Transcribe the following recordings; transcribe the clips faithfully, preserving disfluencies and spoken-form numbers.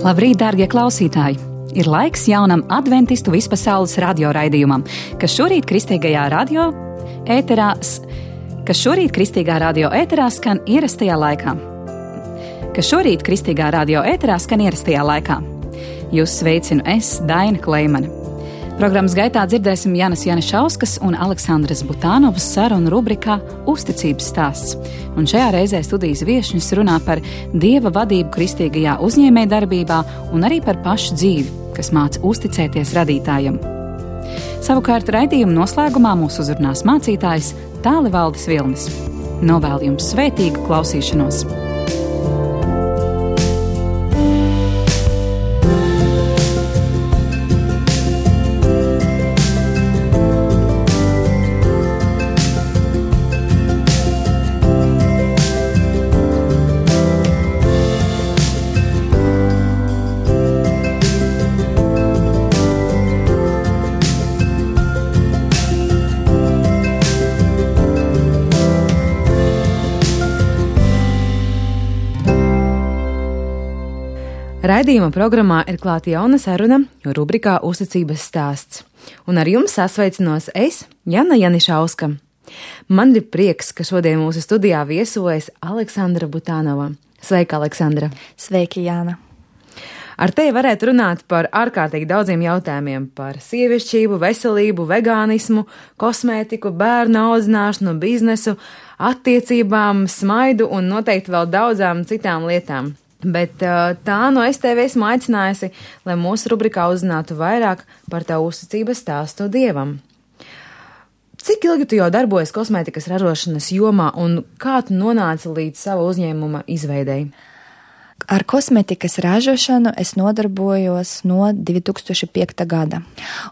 Labrīt, dārgie klausītāji! Ir laiks jaunam adventistu vispasaules radioraidījumam, kas šorīt kristīgajā radio ēterā, kas šorīt kristīgā radio ēterā skan ierastajā laikā. Kas šorīt kristīgā radio ēterā skan ierastajā laikā. Jūs sveicinu es, Daina Kleimane. Programmas gaitā dzirdēsim Janas Janišauskas un Aleksandras Butānovas sarunu rubrikā Uzticības stāsts. Un šajā reizē studijas viešņas runā par Dieva vadību kristīgajā uzņēmējdarbībā un arī par pašu dzīvi, kas māca uzticēties radītājam. Savukārt raidījuma noslēgumā mūs uzrunās mācītājs Tālivaldis Vilnis. Novēlu jums svētīgu klausīšanos! Raidījuma programmā ir klāta jauna saruna, rubrikā Uzticības stāsts. Un ar jums sasveicinos es, Jana Janišauska. Man ir prieks, ka šodien mūsu studijā viesojas Aleksandra Butānova. Sveika, Aleksandra! Sveiki, Jāna! Ar tevi varētu runāt par ārkārtīgi daudziem jautājumiem – par sievišķību, veselību, vegānismu, kosmētiku, bērnu audzināšanu, biznesu, attiecībām, smaidu un noteikti vēl daudzām citām lietām. Bet tā no es tevi esmu aicinājusi, lai mūsu rubrikā uzzinātu vairāk par tavu uzticības stāstu Dievam. Cik ilgi tu jau darbojies kosmētikas ražošanas jomā un kā tu nonāci līdz sava uzņēmuma izveidei? Ar kosmētikas ražošanu es nodarbojos no divi tūkstoši piekta gada,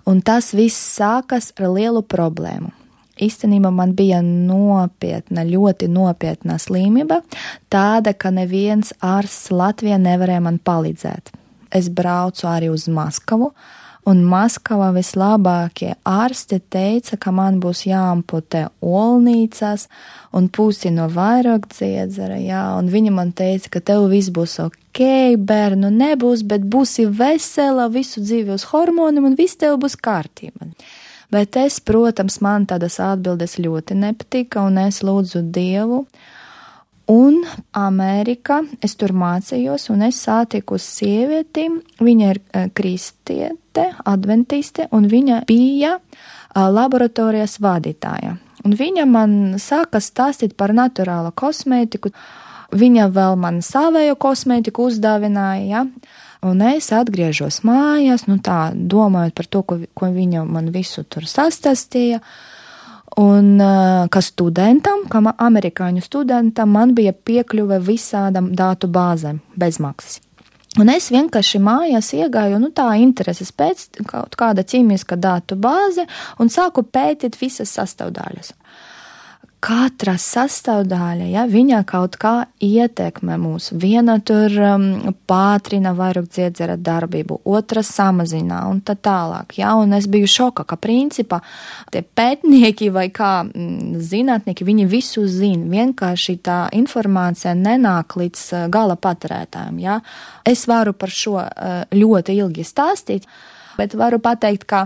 un tas viss sākas ar lielu problēmu. Īstenībā man bija nopietna, ļoti nopietna slimība, tāda, ka neviens ārsts Latvijā nevarēja man palīdzēt. Es braucu arī uz Maskavu, un Maskavā vislabākie ārsti teica, ka man būs jāamputē olnīcas un pusi no vairogdziedzera, jā, un viņi man teica, ka tev viss būs ok, bērnu nebūs, bet būsi vesela, visu dzīvi uz hormoniem un viss tev būs kārtība. Bet es, protams, man tādas atbildes ļoti nepatika, un es lūdzu Dievu. Un Amerikā es tur mācījos, un es sātiku sievieti, viņa ir kristiete, adventiste, un viņa bija laboratorijas vadītāja. Un viņa man sāka stāstīt par naturālu kosmētiku, viņa vēl man savējo kosmētiku uzdāvināja, ja? Un es atgriežos mājās, nu tā, domājot par to, ko, ko viņa man visu tur sastāstīja. Un kā studentam, kā amerikāņu studentam, man bija piekļuve visādam datu bāzēm bez maksas. Un es vienkārši mājās iegāju, nu tā, intereses pēc kaut kāda ķīmiska datu bāze un sāku pētīt visas sastāvdaļas. Katra sastāvdaļa, ja, viņa kaut kā ietekmē mūs. Viena tur um, pātrina vairogdziedzera darbību, otra samazina un tā tālāk. Ja, un es biju šoka, ka principā tie pētnieki vai kā m, zinātnieki, viņi visu zina. Vienkārši tā informācija nenāk līdz uh, gala patērētājiem. Ja. Es varu par šo uh, ļoti ilgi stāstīt, bet varu pateikt, ka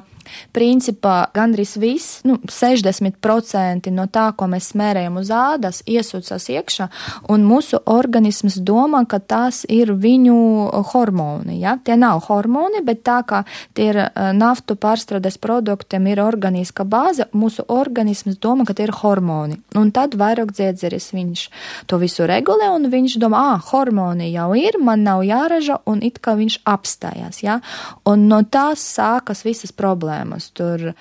principā gandrīz viss, nu, sešdesmit procenti no tā, ko mēs smērējam uz ādas, iesūcas iekšā, un mūsu organisms domā, ka tās ir viņu hormoni, ja? Tie nav hormoni, bet tā kā tie ir naftu pārstrādes produktiem ir organiska bāze, mūsu organisms domā, ka tie ir hormoni. Un tad vairogdziedzeris viņš to visu regulē, un viņš domā, ā, hormoni jau ir, man nav jāraža, un it kā viņš apstājās, ja? Un no tās sākas visas problēmas. Tur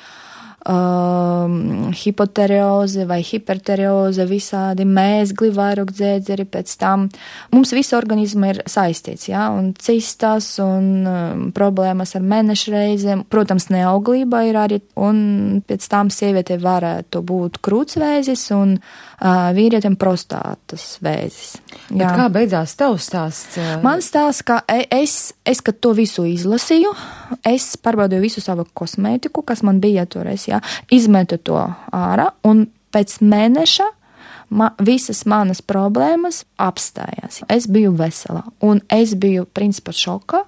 um, hipoterioze vai hiperterioze, visādi mēzgli, vairogdziedzeri, pēc tam mums visi organismi ir saistīts, ja, un cistas un um, problēmas ar mēnešreizēm, protams, neauglība ir arī, un pēc tam sievietei varētu būt krūtsvēzis un uh, vīrietim prostātas vēzis. Bet kā beidzās tavs stāsts? Man stāsts, ka es, es, kad to visu izlasīju, es pārbaudīju visu savu kosmētiku, kas man bija toreiz, jā, izmetu to ārā, un pēc mēneša Ma, visas manas problēmas apstājās. Es biju vesela, un es biju principā šokā,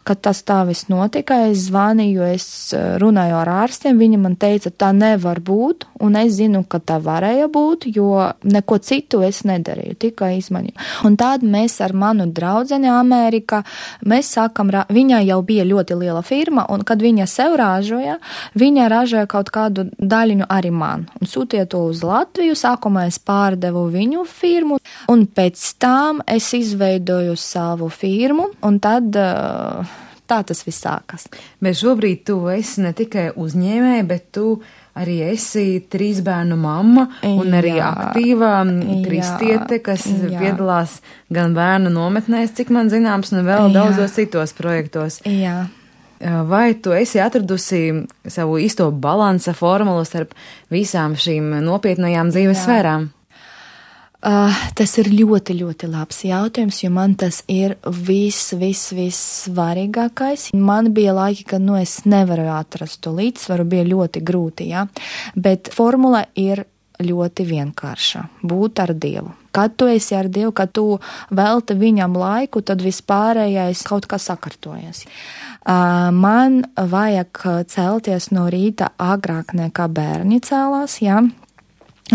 kad tas tā viss notika. Es zvanīju, es runāju ar ārstiem, viņi man teica, tā nevar būt, un es zinu, ka tā varēja būt, jo neko citu es nedarīju, tikai izmaņu. Un tad mēs ar manu draudzeni Amerikā, mēs sākam, viņa jau bija ļoti liela firma, un kad viņa sev ražoja, viņa ražoja kaut kādu daļiņu arī man, un sūtīja to uz Latviju. Sākumā es pārdevu viņu firmu, un pēc tam es izveidoju savu firmu, un tad uh, tā tas viss sākas. Bet šobrīd tu esi ne tikai uzņēmēja, bet tu arī esi trīs bērnu mamma un arī jā, aktīvā kristiete, kas jā. piedalās gan bērnu nometnēs, cik man zināms, un vēl jā. daudzos citos projektos. Jā. Vai tu esi atradusi savu īsto balansa formulu starp visām šīm nopietnajām dzīves jā. sfērām? Uh, tas ir ļoti, ļoti labs jautājums, jo man tas ir viss, viss, viss svarīgākais. Man bija laiki, kad nu, es nevaru atrast to līdzsvaru, bija ļoti grūti, jā. Bet formula ir ļoti vienkārša – būt ar Dievu. Kad tu esi ar Dievu, kad tu velti viņam laiku, tad vispārējais kaut kā sakartojas. Uh, man vajag celties no rīta agrāk nekā bērni cēlās, jā.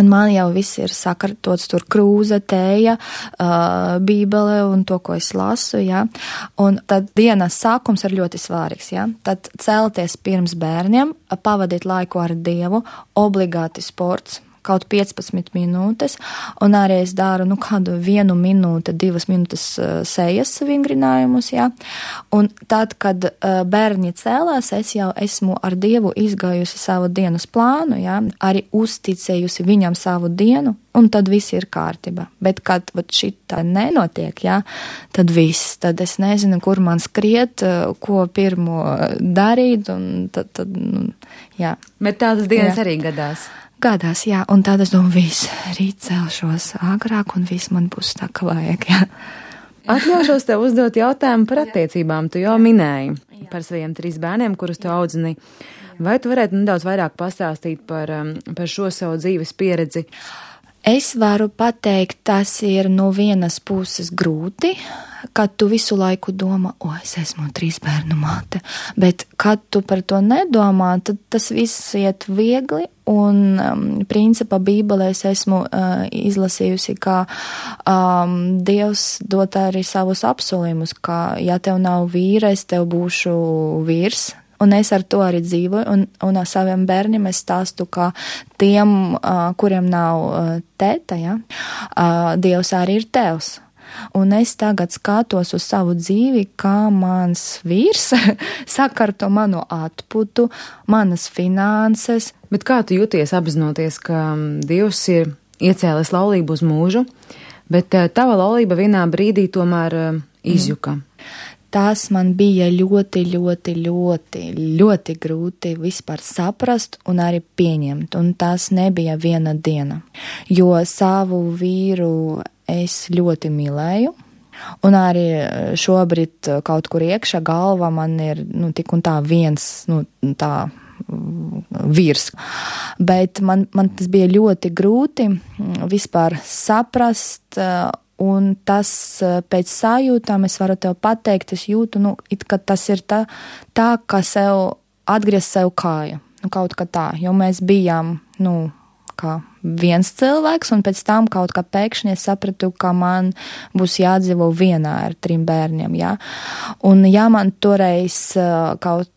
Un man jau viss ir sakartots, tur krūze, tēja, uh, bībele un to, ko es lasu, jā. Un tad dienas sākums ir ļoti svarīgs, jā. Tad celties pirms bērniem, pavadīt laiku ar Dievu, obligāti sports, kaut piecpadsmit minūtes, un arī es daru, nu, kādu vienu minūte, divas minūtes uh, sejas vingrinājumus, jā. Un tad, kad uh, bērni cēlās, es jau esmu ar Dievu izgājusi savu dienas plānu, jā, arī uzticējusi viņam savu dienu, un tad viss ir kārtība. Bet, kad šitā nenotiek, jā, tad viss, tad es nezinu, kur man skriet, uh, ko pirmo darīt, un tad, tad nu, jā. Bet tādas dienas jā. arī gadās. Gadās, jā, un tad es domāju, viss, rīt celšos agrāk, un viss man būs tā, ka vajag, jā. Atļaušos tev uzdot jautājumu par attiecībām. Tu jau minēji par saviem trīs bērniem, kurus tu audzini. Vai tu varētu nedaudz vairāk pastāstīt par, par šo savu dzīves pieredzi? Es varu pateikt, tas ir no vienas puses grūti, kad tu visu laiku domā, o, es esmu trīs bērnu māte, bet kad tu par to nedomā, tad tas viss iet viegli, un um, principā Bībelē es esmu uh, izlasījusi, ka um, Dievs dod arī savus apsolījumus, ka ja tev nav vīra, es tev būšu vīrs. Un es ar to arī dzīvoju, un, un ar saviem bērniem es stāstu, ka tiem, uh, kuriem nav uh, tēta, ja, uh, Dievs arī ir tevs. Un es tagad skatos uz savu dzīvi, kā mans vīrs sakarto manu atputu, manas finanses. Bet kā tu jūties apzinoties, ka Dievs ir iecēlis laulību uz mūžu, bet uh, tava laulība vienā brīdī tomēr uh, izjuka? Mm. Tas man bija ļoti, ļoti, ļoti, ļoti grūti vispār saprast un arī pieņemt, un tas nebija viena diena, jo savu vīru es ļoti mīlēju, un arī šobrīd kaut kur iekšā galvā man ir, nu, tik un tā viens, nu, tā vīrs, bet man, man tas bija ļoti grūti vispār saprast. Un tas pēc sajūtām es varu tev pateikt, es jūtu, nu, it, ka tas ir tā, tā kā sev atgriezt sev kāju, nu, kaut kā tā, jo mēs bijām, nu, kā viens cilvēks, un pēc tam kaut kā pēkšņi es sapratu, ka man būs jādzīvo vienā ar trim bērniem, jā. Un ja man toreiz kaut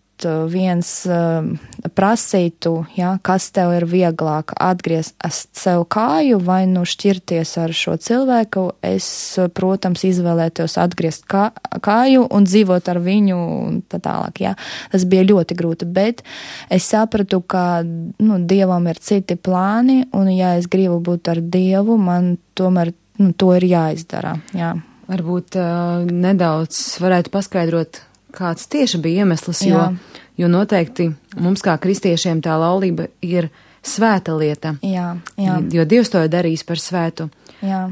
viens uh, prasītu, ja, kas tev ir vieglāk atgriezt sev kāju vai nu šķirties ar šo cilvēku, es, protams, izvēlētos atgriezt kā, kāju un dzīvot ar viņu un tā tālāk, ja. Tas bija ļoti grūti, bet es sapratu, ka, nu, Dievam ir citi plāni, un ja es gribu būt ar Dievu, man tomēr, nu, to ir jāizdara, jā. Varbūt uh, nedaudz varētu paskaidrot, kāds tieši bija iemesls, jo, jo noteikti mums kā kristiešiem tā laulība ir svēta lieta. Jā, jā. Jo Dievs to ir darījis par svētu. Jā.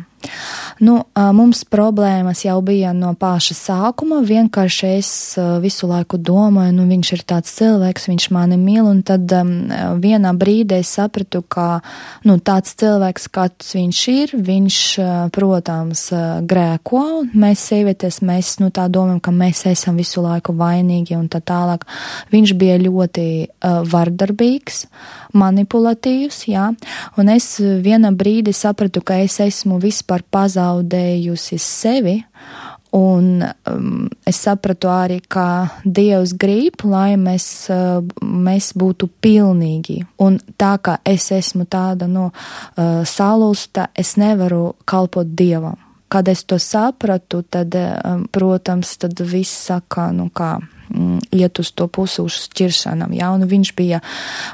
Nu, mums problēmas jau bija no paša sākuma, vienkārši es visu laiku domāju, nu viņš ir tāds cilvēks, viņš mani mīl, un tad um, vienā brīdī es sapratu, ka, nu, tāds cilvēks, kāds viņš ir, viņš, protams, grēko, un mēs sievietes, mēs, nu, tā domājam, ka mēs esam visu laiku vainīgi un tā tālāk. Viņš bija ļoti uh, vardarbīgs, manipulatīvs, jā, un es vienā brīdī sapratu, ka es esmu vispār pazaudējusi sevi, un um, es sapratu arī, ka Dievs grib, lai mēs, uh, mēs būtu pilnīgi, un tā kā es esmu tāda, nu, uh, salūsta, es nevaru kalpot Dievam. Kad es to sapratu, tad, um, protams, tad viss saka, nu kā, iet uz to pusi uz šķiršanam, jā, un viņš bija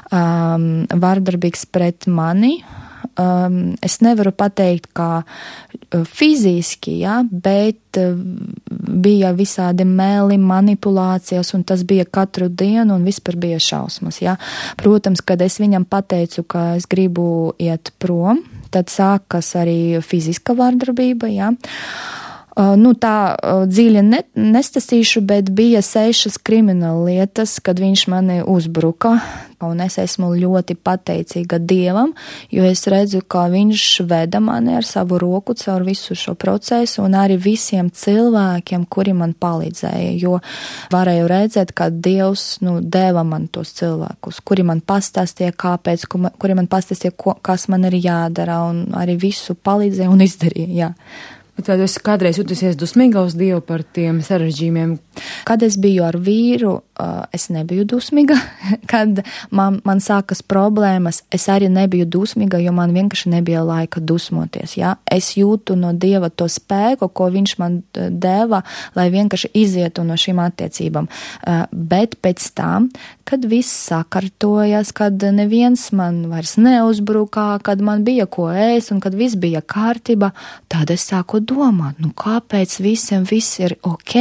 um, vardarbīgs pret mani. Um, es nevaru pateikt, kā fiziski, jā, bet uh, bija visādi meli, manipulācijas, un tas bija katru dienu, un vispār bija šausmas, jā. Protams, kad es viņam pateicu, ka es gribu iet prom, tad sākas arī fiziska vardarbība, jā. Uh, nu, tā uh, dziļi ne, nestasīšu, bet bija sešas krimināla lietas, kad viņš mani uzbruka, un es esmu ļoti pateicīga Dievam, jo es redzu, ka viņš veda mani ar savu roku caur visu šo procesu, un arī visiem cilvēkiem, kuri man palīdzēja, jo varēju redzēt, ka Dievs, nu, deva man tos cilvēkus, kuri man pastāstīja, kāpēc, kuri man pastāstīja, ko, kas man ir jādara, un arī visu palīdzēja un izdarīja, jā. Bet vai tu esi kādreiz jutusies dusmīga uz Dievu par tiem sarežģījumiem? Kad es biju ar vīru, es nebiju dusmīga. Kad man, man sākas problēmas, es arī nebiju dusmīga, jo man vienkārši nebija laika dusmoties. Ja? Es jūtu no Dieva to spēku, ko viņš man deva, lai vienkārši izietu no šīm attiecībām. Bet pēc tam, kad viss sakartojas, kad neviens man vairs neuzbrukā, kad man bija ko ēst un kad viss bija kārtība, tad es sāku domāt, nu kāpēc visiem viss ir ok,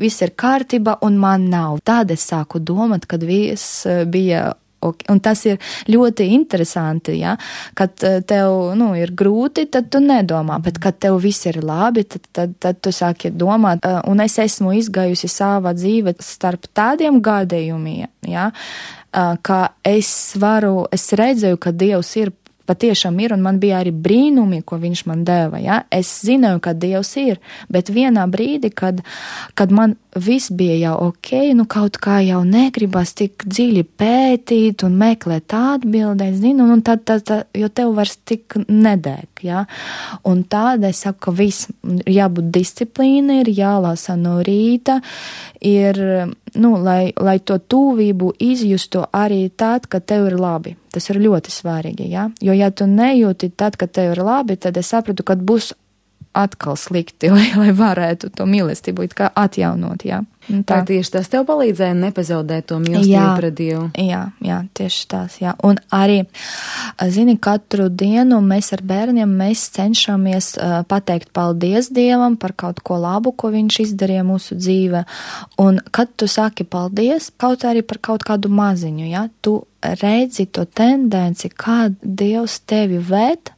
viss ir kārtība un man nav. Tad es sāku domāt, kad viss bija ok. Un tas ir ļoti interesanti, ja? Kad tev, nu, ir grūti, tad tu nedomā, bet kad tev viss ir labi, tad, tad, tad tu sāki domāt. Un es esmu izgājusi savā dzīvē starp tādiem gadījumiem, ja? Ka es varu, es redzēju, ka Dievs ir patiešām ir, un man bija arī brīnumi, ko viņš man deva, ja? Es zināju, ka Dievs ir, bet vienā brīdī, kad, kad man viss bija jau ok, nu kaut kā jau negribas tik dziļi pētīt un meklēt atbildēt, zinu, un tad, tad, tad, jo tev vairs tik nedēk, ja? Un tāda es saku, ka viss jābūt disciplīna, ir jālasa no rīta, ir, nu, lai, lai to tuvību izjustu arī tad, kad tev ir labi. Tas ir ļoti svarīgi, ja? Jo ja tu nejūti tad, kad tev ir labi, tad es sapratu, kad būs atkal slikti, lai, lai varētu to mīlestību it kā atjaunot, jā. Tā tieši tas tev palīdzēja nepazaudēt to mīlestību pret Dievu. Jā, jā, tieši tās, jā. Un arī, zini, katru dienu mēs ar bērniem, mēs cenšamies uh, pateikt paldies Dievam par kaut ko labu, ko viņš izdarīja mūsu dzīvē. Un kad tu saki paldies, kaut arī par kaut kādu maziņu, jā, tu redzi to tendenci, kā Dievs tevi ved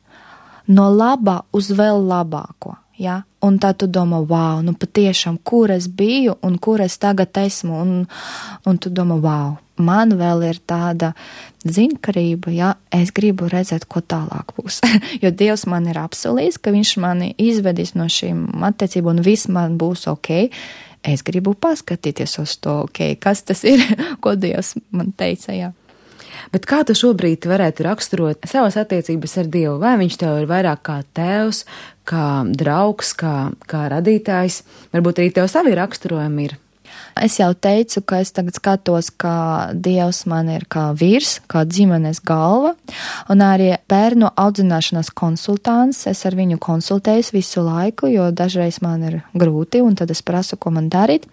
no labā uz vēl labāko, ja? Un tā tu domā, wow, nu patiešām, kur es biju un kur es tagad esmu, un, un tu domā, wow, man vēl ir tāda zinkarība, ja, es gribu redzēt, ko tālāk būs. Jo Dievs man ir apsolījis, ka viņš mani izvedīs no šīm attiecībām un viss man būs ok. Es gribu paskatīties uz to, ok, kas tas ir, ko Dievs man teica, jā. Bet kā tu šobrīd varētu raksturot savas attiecības ar Dievu? Vai viņš tev ir vairāk kā tēvs, kā draugs, kā, kā radītājs? Varbūt arī tev savi raksturojumi ir. Es jau teicu, ka es tagad skatos, ka Dievs man ir kā vīrs, kā ģimenes galva, un arī bērnu audzināšanas konsultants. Es ar viņu konsultējos visu laiku, jo dažreiz man ir grūti, un tad es prasu, ko man darīt.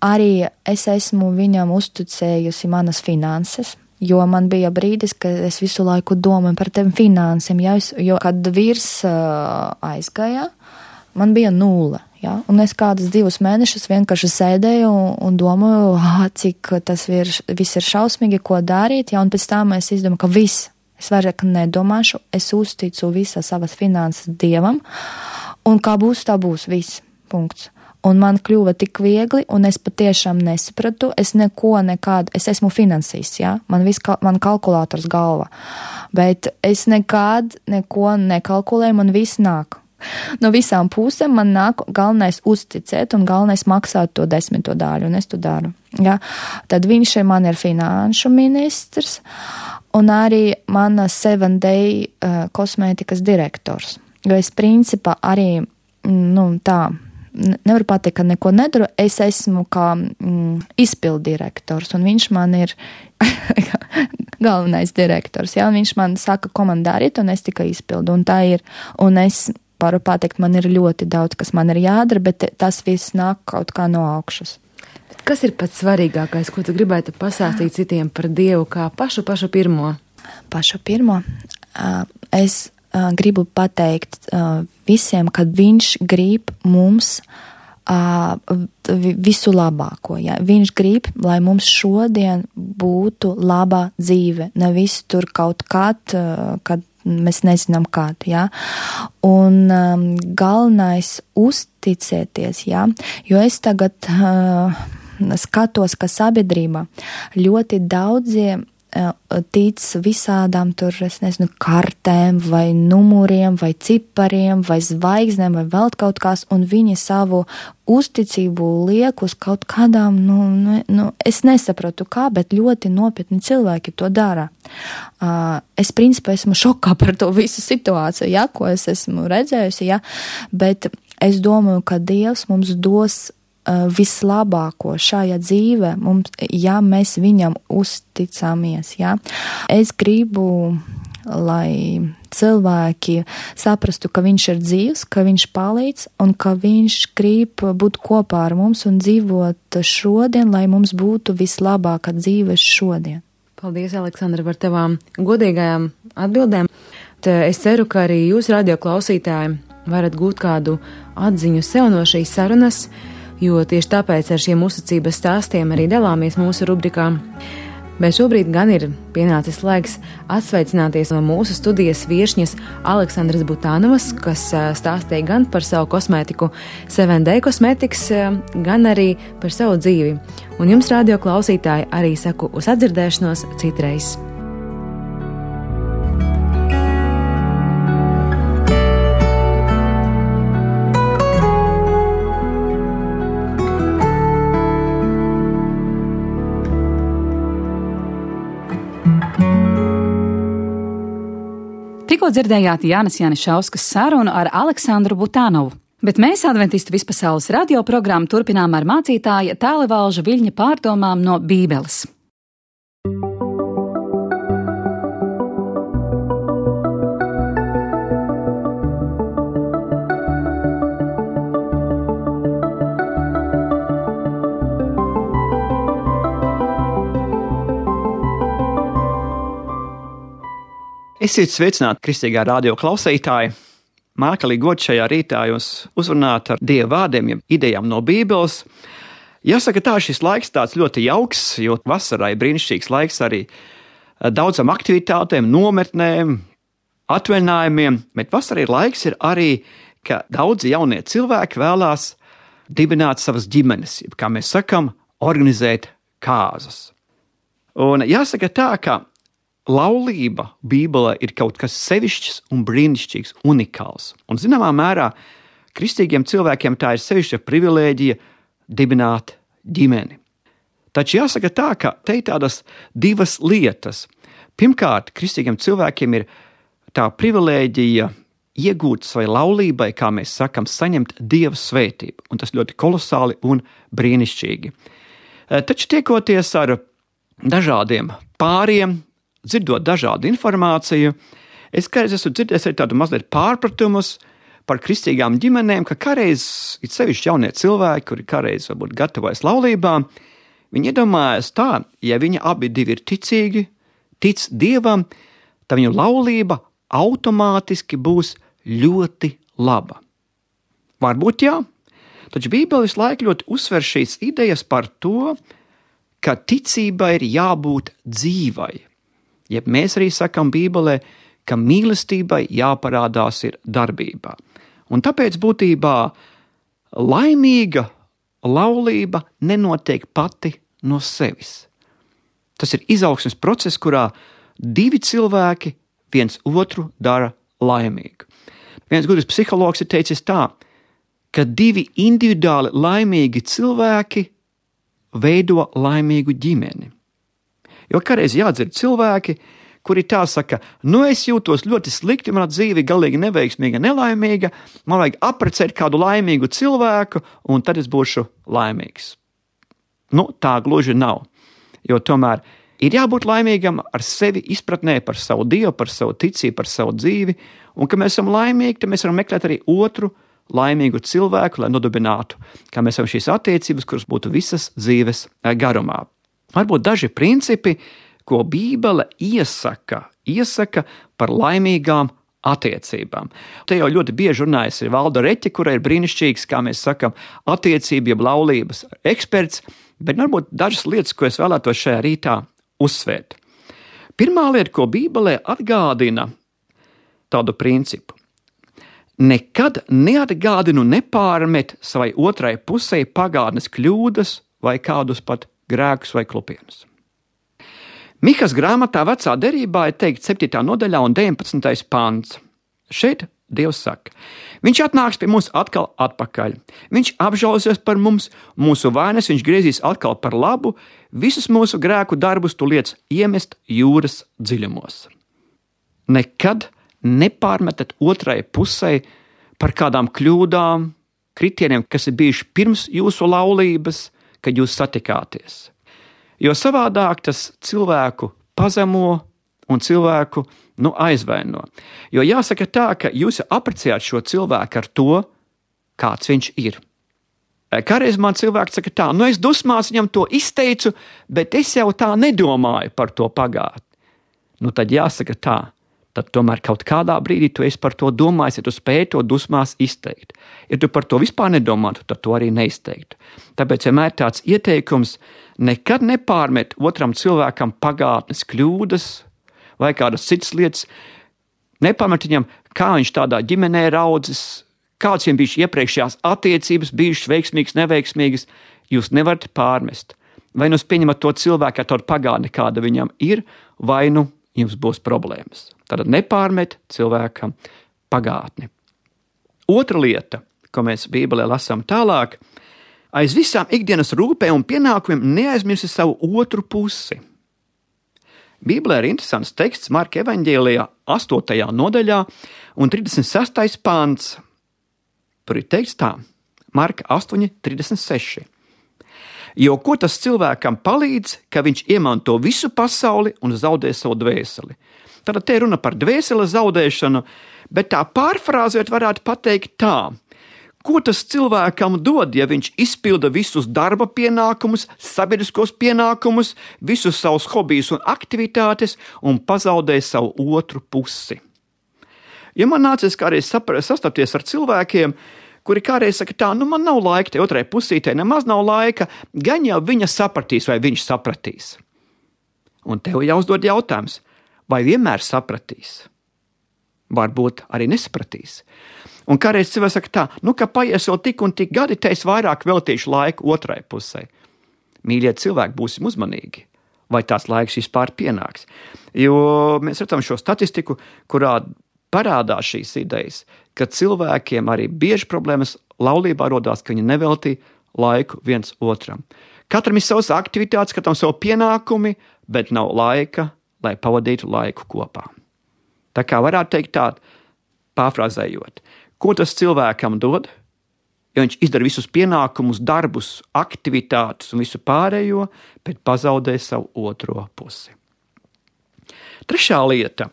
Arī es esmu viņam uzticējusi manas finanses. Jo man bija brīdis, ka es visu laiku domāju par tiem finansēm, ja, jo kad vīrs uh, aizgāja, man bija nulle, ja, un es kādus divus mēnešus vienkārši sēdēju un, un domāju, ah, cik tas vir, viss ir šausmīgi, ko darīt, ja, un pēc tam es izdomāju, ka viss, es vairāk nedomāšu, es uzticu visas savas finanses Dievam, Un kā būs, tā būs, viss, punkts. Un man kļuva tik viegli, un es patiešām nesapratu, es neko nekādu, es esmu finansists, jā, man viss, man kalkulators galva, bet es nekād neko nekalkulēju, man viss nāk. No visām pusēm man nāk galvenais uzticēt un galvenais maksāt to desmito daļu, un es to daru, jā. Tad viņš man ir finanšu ministrs, un arī mana seven day uh, kosmētikas direktors, jo es principā arī, nu, tā, nevaru pateikt, ka neko nedaru, es esmu kā mm, izpildirektors, un viņš man ir galvenais direktors, jā, un viņš man saka, ko man darīt, un es tikai izpildu, un tā ir, un es varu pateikt, man ir ļoti daudz, kas man ir jādara, bet tas viss nāk kaut kā no augšas. Kas ir pats svarīgākais, ko tu gribētu pasāstīt citiem par Dievu, kā pašu, pašu pirmo? Pašu pirmo? Es Uh, gribu pateikt uh, visiem, ka viņš grib mums uh, visu labāko. Ja? Viņš grib, lai mums šodien būtu laba dzīve, nevis tur kaut kād, uh, kad mēs nezinām kād. Ja? Un um, galvenais uzticēties, ja? Jo es tagad uh, skatos, ka sabiedrība ļoti daudziem tic visādām tur, es nezinu, kartēm vai numuriem vai cipariem vai zvaigznēm vai vēl kaut kās, un viņi savu uzticību liek uz kaut kādām, nu, nu, es nesapratu kā, bet ļoti nopietni cilvēki to dara. Uh, es principā esmu šokā par to visu situāciju, ja, ko es esmu redzējusi, ja, bet es domāju, ka Dievs mums dos vislabāko šajā dzīvē, mums, ja mēs viņam uzticamies, ja. Es gribu, lai cilvēki saprastu, ka viņš ir dzīvs, ka viņš palīdz un ka viņš grib būt kopā ar mums un dzīvot šodien, lai mums būtu vislabākā dzīve šodien. Paldies, Aleksandra, par tavām godīgajām atbildēm. Te es ceru, ka arī jūs, radio klausītāji, varat gūt kādu atziņu sev no šīs sarunas, jo tieši tāpēc ar šiem uzticības stāstiem arī dalāmies mūsu rubrikā. Bet šobrīd gan ir pienācis laiks atsveicināties no mūsu studijas viešņas Aleksandras Butānovas, kas stāstīja gan par savu kosmētiku seven day Cosmetics, gan arī par savu dzīvi. Un jums, radio klausītāji, arī saku uz atdzirdēšanos citreiz. Tikko dzirdējāt Jānis Jānišauskas sarunu ar Aleksandru Butānovu, bet mēs Adventistu vispasaules radio programmu turpinām ar mācītāja Tālevalža Viļņa pārdomām no Bībeles. Esiet sveicināti, kristīgā radio klausītāji! Mākalīgi gods šajā rītā jūs uzrunāt ar Dieva vārdiem, ja idejām no Bībeles. Jāsaka tā, šis laiks tāds ļoti jauks, jo vasarai brīnišķīgs laiks arī daudzām aktivitātēm, nometnēm, atvaļinājumiem, bet vasarā ir laiks ir arī, ka daudzi jaunie cilvēki vēlās dibināt savas ģimenes, kā mēs sakam, organizēt kāzas. Un jāsaka tā, ka laulība Bībelē ir kaut kas sevišķs un brīnišķīgs, unikāls. Un zināmā mērā kristīgiem cilvēkiem tā ir sevišķa privilēģija dibināt ģimeni. Taču jāsaka tā, ka te ir tādas divas lietas. Pirmkārt, kristīgiem cilvēkiem ir tā privilēģija iegūt savai laulībai, kā mēs sakam, saņemt Dieva svētību. Un tas ļoti kolosāli un brīnišķīgi. Taču tiekoties ar dažādiem pāriem, dzirdot dažādu informāciju, es kādreiz esmu dzirdējis arī tādu mazliet pārpratumus par kristīgām ģimenēm, ka kādreiz ir sevišķi jaunie cilvēki, kuri kādreiz varbūt gatavojas laulībām, viņi iedomājas tā, ja viņi abi divi ir ticīgi, tic Dievam, tad viņu laulība automātiski būs ļoti laba. Varbūt jā, taču Bībele visu laiku ļoti uzsver šīs idejas par to, ka ticībai ir jābūt dzīvai. Jeb mēs arī sakam Bībelē, ka mīlestībai jāparādās ir darbībā. Un tāpēc būtībā laimīga laulība nenotiek pati no sevis. Tas ir izaugsmes process, kurā divi cilvēki viens otru dara laimīgu. Viens gudrs psihologs ir teicis tā, ka divi individuāli laimīgi cilvēki veido laimīgu ģimeni. Jo kādreiz jādzird cilvēki, kuri tā saka, nu es jūtos ļoti slikti, mana dzīve galīgi neveiksmīga, nelaimīga, man vajag apprecēt kādu laimīgu cilvēku, un tad es būšu laimīgs. Nu, tā gluži nav, jo tomēr ir jābūt laimīgam ar sevi izpratnē par savu Dievu, par savu ticību, par savu dzīvi, un ka mēs esam laimīgi, tad mēs varam meklēt arī otru laimīgu cilvēku, lai nodibinātu, kā mēs esam šīs attiecības, kuras būtu visas dzīves garumā. Varbūt daži principi, ko Bībele iesaka, iesaka par laimīgām attiecībām. Te jau ļoti bieži runājas ir Valda Reķe, kura ir brīnišķīgs, kā mēs sakam, attiecību, jeb laulības eksperts, bet varbūt dažas lietas, ko es vēlētos šajā rītā uzsvērt. Pirmā lieta, ko Bībelē atgādina tādu principu. Nekad neatgādinu nepārmet savai otrai pusē pagātnes kļūdas vai kādus pat grēkus vai klupienus. Mihas grāmatā Vecā derībā ir teikt septītā nodaļā un deviņpadsmitais pants. Šeit Dievs saka, viņš atnāks pie mums atkal atpakaļ. Viņš apžēlosies par mums, mūsu vainas viņš griezīs atkal par labu, visus mūsu grēku darbus tu liec iemest jūras dziļumos. Nekad nepārmetat otrai pusē par kādām kļūdām, kritieniem, kas ir bijuši pirms jūsu laulības, kad jūs satikāties. Jo savādāk tas cilvēku pazemo un cilvēku nu, aizvaino. Jo jāsaka tā, ka jūs apprecējāt šo cilvēku ar to, kāds viņš ir. Kādreiz man cilvēks saka tā, nu es dusmās viņam to izteicu, bet es jau tā nedomāju par to pagātni. Nu tad jāsaka tā, tad tomēr kaut kādā brīdī tu esi par to domājis, ja tu spēj to dusmās izteikt. Ja tu par to vispār nedomātu, tad to arī neizteiktu. Tāpēc vienmēr tāds ieteikums nekad nepārmet otram cilvēkam pagātnes kļūdas vai kādas citas lietas, nepārmet viņam, kā viņš tādā ģimenē raudzis, kāds viņam bijuši iepriekšējās attiecības, bijušas veiksmīgas, neveiksmīgas, jūs nevarat pārmest. Vai nu pieņemat to cilvēku ar tādu pagātni, kāda viņam ir, vai nu jums būs problēmas. Tad nepārmet cilvēkam pagātni. Otra lieta, ko mēs Bībelē lasām tālāk, aiz visām ikdienas rūpēm un pienākumiem neaizmirsi savu otru pusi. Bībelē ir interesants teksts Marka evaņģēlijā astotajā nodaļā un trīsdesmit sestais pants. Tur ir teikts tā, Marka astoņi trīsdesmit seši. Jo ko tas cilvēkam palīdz, ka viņš iemanto visu pasauli un zaudē savu dvēseli? Tad te runa par dvēseles zaudēšanu, bet tā pārfrāzēt varētu pateikt tā. Ko tas cilvēkam dod, ja viņš izpilda visus darba pienākumus, sabiedriskos pienākumus, visus savus hobijus un aktivitātes un pazaudē savu otru pusi? Ja man nācies kādreiz sastapties ar cilvēkiem, kuri kādreiz saka tā, nu man nav laika, te otrai pusītei nemaz nav laika, gan jau viņa sapratīs vai viņš sapratīs. Un tev jāuzdod jautājums, vai vienmēr sapratīs? Varbūt arī nesapratīs. Un kādreiz cilvēks saka tā, nu ka paies vēl tik un tik gadi, te es vairāk veltīšu laiku otrai pusē. Mīļie cilvēki, būsim uzmanīgi, vai tās laiks vispār pienāks. Jo mēs redzam šo statistiku, kurā parādās šīs idejas, ka cilvēkiem arī bieži problēmas laulībā rodās, ka viņi neveltī laiku viens otram. Katram ir savas aktivitātes, katram savu pienākumi, bet nav laika, lai pavadītu laiku kopā. Tā kā varētu teikt tā, pārfrāzējot, ko tas cilvēkam dod, ja viņš izdara visus pienākumus, darbus, aktivitātes un visu pārējo, bet pazaudē savu otro pusi. Trešā lieta.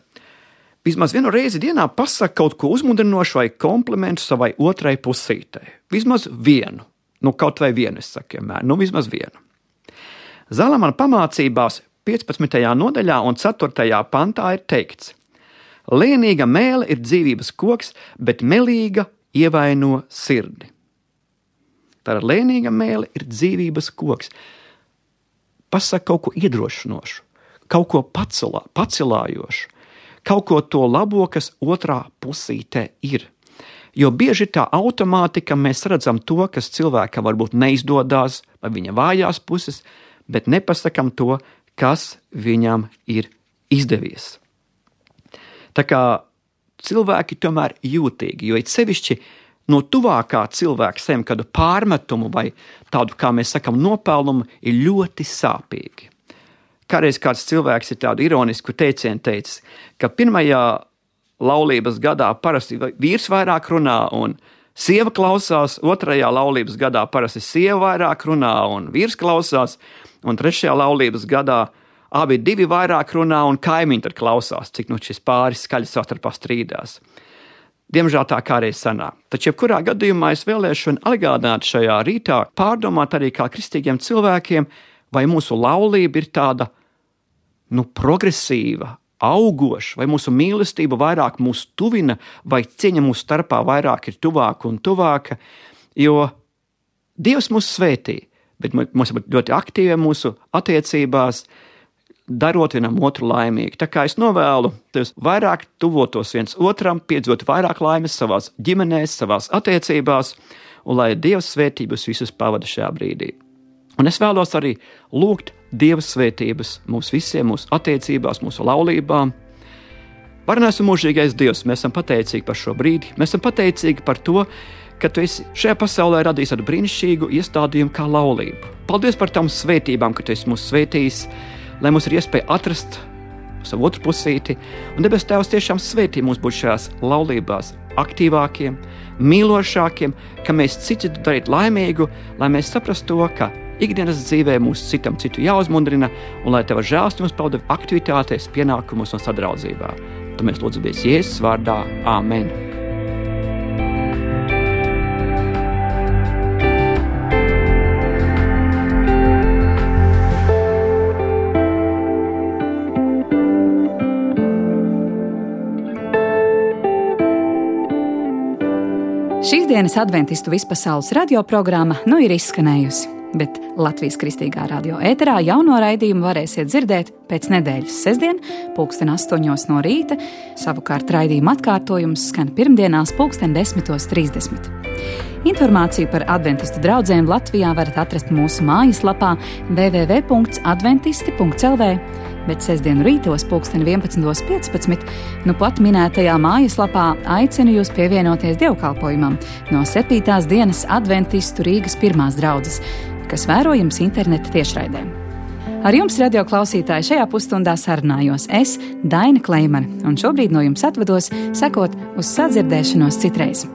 Vismaz vienu reizi dienā pasaka kaut ko uzmundrinošu vai komplimentu savai otrai pusītei. Vismaz vienu. Nu, kaut vai vienu, es saku vienmēr. Nu, vismaz vienu. Zalamana pamācībās piecpadsmitajā nodaļā un ceturtajā pantā ir teikts: Lēnīga mēle ir dzīvības koks, bet melīga ievaino sirdi. Tātad lēnīga mēle ir dzīvības koks. Pasaka kaut ko iedrošinošu, kaut ko pacelā, pacelājošu, kaut ko to labo, kas otrā pusītē ir. jo bieži tā automātika mēs redzam to, kas cilvēkam varbūt neizdodas, vai viņa vājās puses, bet nepasakam to, kas viņam ir izdevies. Tā kā cilvēki tomēr jūtīgi, jo it sevišķi no tuvākā cilvēka saņem kādu pārmetumu vai tādu, kā mēs sakam, nopelnumu, ir ļoti sāpīgi. Kādreiz kāds cilvēks ir tādu ironisku teicienu teicis, ka pirmajā laulības gadā parasti vīrs vairāk runā un sieva klausās, otrajā laulības gadā parasti sieva vairāk runā un vīrs klausās, un trešajā laulības gadā abi divi vairāk runā un kaimiņi tad klausās, cik nu šis pāris skaļi savstarpā strīdās. Diemžēl tā kādreiz sanāk. Taču jebkurā gadījumā es vēlēšu atgādināt šajā rītā, pārdomāt arī kā kristīgiem cilvēkiem, vai mūsu laulība ir tāda, nu, progresīva, augoša, vai mūsu mīlestība vairāk mūs tuvina, vai cieņa mūsu starpā vairāk ir tuvāka un tuvāka, jo Dievs mūs svētī, bet mums ir ļoti aktīvi mūsu attiecībās, darot vienam otru laimīgi. Tā kā es novēlu, tev vairāk tuvotos viens otram, piedzīvot vairāk laimes savās ģimenēs, savās attiecībās, un lai Dievs svētības visus pavada šajā brīdī. Un es vēlos arī lūgt Dieva svētības mums visiem, mūsu attiecībās, mūsu laulībām. Varenais un mūžīgais Dievs, mēs esam pateicīgi par šo brīdi, mēs esam pateicīgi par to, ka tu esi šajā pasaulē radījis tādu brīnišķīgu iestādījumu kā laulību. Paldies par tām svētībām, ka tu esi mūs svētījis, lai mums ir iespēja atrast savu otru pusīti, un debes Tēvs tiešām svētī mūs būt šajās laulībās aktīvākiem, mīlošākiem, ka mēs citu darīt laimīgu, lai mēs saprastu to, ka ikdienas dzīvē mūs citam citu jāuzmundrina, un lai Tava žēlstības pauda aktivitātēs, pienākumos un sadraudzībā. Tu mēs lūdzamies Jēzus vārdā. Āmen. Šīs dienas adventistu vispasaules radioprogramma nu ir izskanējusi, bet Latvijas Kristīgā radio ēterā jauno raidījumu varēsiet dzirdēt pēc nedēļas sestdien, pulksten astoņos no rīta, savukārt raidījuma atkārtojums skan pirmdienās pulksten desmitos trīsdesmit. Informāciju par adventistu draudzēm Latvijā varat atrast mūsu mājaslapā w w w punkts adventisti punkts l v, bet sestdienu rītos pulksten vienpadsmitos piecpadsmit nu pat minētajā mājaslapā aicinu jūs pievienoties dievkalpojumam no septītās dienas adventistu Rīgas pirmās draudzes, kas vērojams interneta tiešraidē. Ar jums, radio klausītāji, šajā pusstundā sarunājos es, Daina Kleimane, un šobrīd no jums atvados, sakot uz sadzirdēšanos citreiz.